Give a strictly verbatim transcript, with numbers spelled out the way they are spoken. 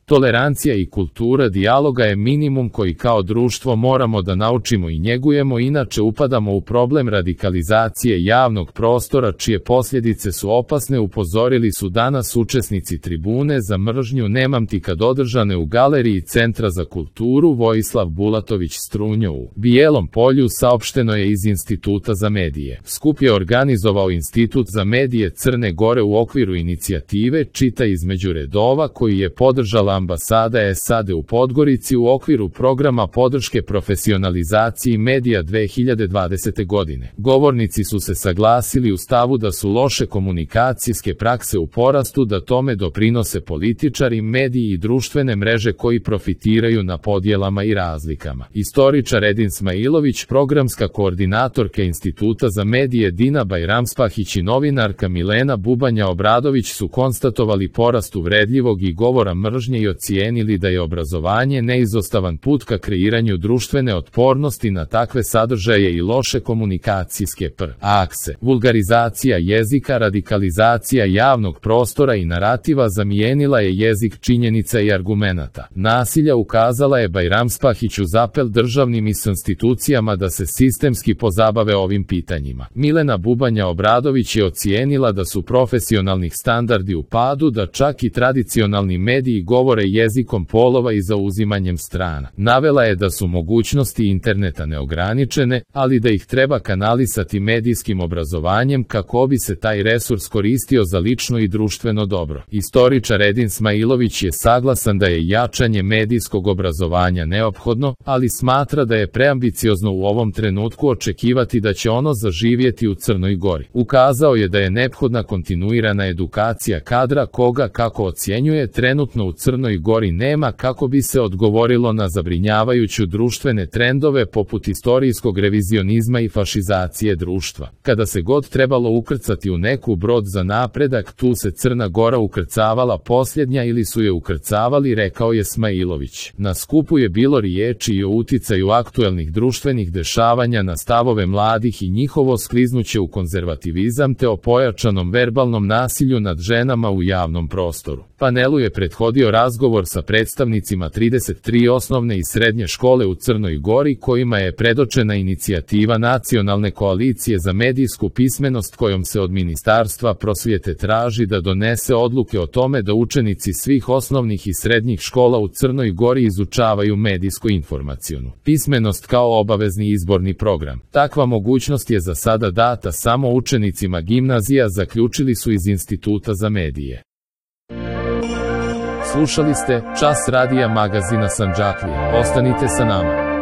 Tolerancija i kultura dijaloga je minimum koji kao društvo moramo da naučimo i njegujemo, inače upadamo u problem radikalizacije javnog prostora čije posljedice su opasne, upozorili su danas učesnici tribune za mržnju Nemamtika održane u galeriji Centra za kulturu Vojislav Bulatović Strunjo u Bijelom Polju, saopšteno je iz Instituta za medije. Skup je organizovao Institut za medije Crne Gore u okviru inicijative Čita između redova, koji je podržala ambasada S A D u Podgorici u okviru programa podrške profesionalizaciji medija dve hiljade dvadesete. godine. Govornici su se saglasili u stavu da su loše komunikacijske prakse u porastu, da tome doprinose političari, mediji i društvene mreže koji profitiraju na podjelama i razlikama. Istoričar Edin Smailović, programska koordinatorka Instituta za medije Dina Bajramspahić i novinarka Milena Bubanja Obradović su konstatovali porast uvredljivog i govora mržnje i ocijenili da je obrazovanje neizostavan put ka kreiranju društvene otpornosti na takve sadržaje i loše komunikacijske prakse. Vulgarizacija jezika, radikalizacija javnog prostora i narativa zamijenila je jezik činjenica i argumenata. Nasilja, ukazala je Bajramspahić uz apel državnim institucijama da se sistemski pozabave ovim pitanjima. Milena Bubanja Obradović je ocijenila da su profesionalnih standardi u padu, da čak i tradicionalni mediji govore jezikom polova i zauzimanjem strana. Navela je da su mogućnosti interneta neograničene, ali da ih treba kanalisati medijskim obrazovanjem kako bi se taj resurs koristio za lično i društveno dobro. Istoričar Edin Smailović je saglasan da je jačanje medijskog obrazovanja neophodno, ali smatra da je preambiciozno u ovom trenutku očekivati da će ono zaživjeti u Crnoj Gori. Ukazao je da je neophodna kontinuirana edukacija kadra koga, kako ocjenjuje, trenutno u Crnoj Gori nema, kako bi se odgovorilo na zabrinjavajuću društvene trendove poput istorijskog revizionizma i fašizacije društva. Kada se god trebalo ukrcati u neku brod za napredak, tu se Crna Gora ukrcavala posljednja ili su je ukrcavali, rekao je Smailović. Na skupu je bilo riječi i o uticaju aktuelnih društvenih dešavanja na stavove mladih i njihovo skliznuće u konzervativizam te o pojačanom verbalnom nasilju nad ženama u javnom prostoru. Panelu je prethodio razgovor sa predstavnicima trideset tri osnovne i srednje škole u Crnoj Gori kojima je predočena inicijativa Nacionalne koalicije za medijsku pismenost kojom se od Ministarstva prosvjete traži da donese odluke o tome da učenici svih osnovnih i srednjih škola u Crnoj Gori izučavaju medijsko-informacionu pismenost kao obavezni izborni program. Takva mogućnost je za sada data samo učenicima gimnazija, zaključili su iz Instituta za medije. Slušali ste Čas radija magazina Sandžaklije. Ostanite sa nama.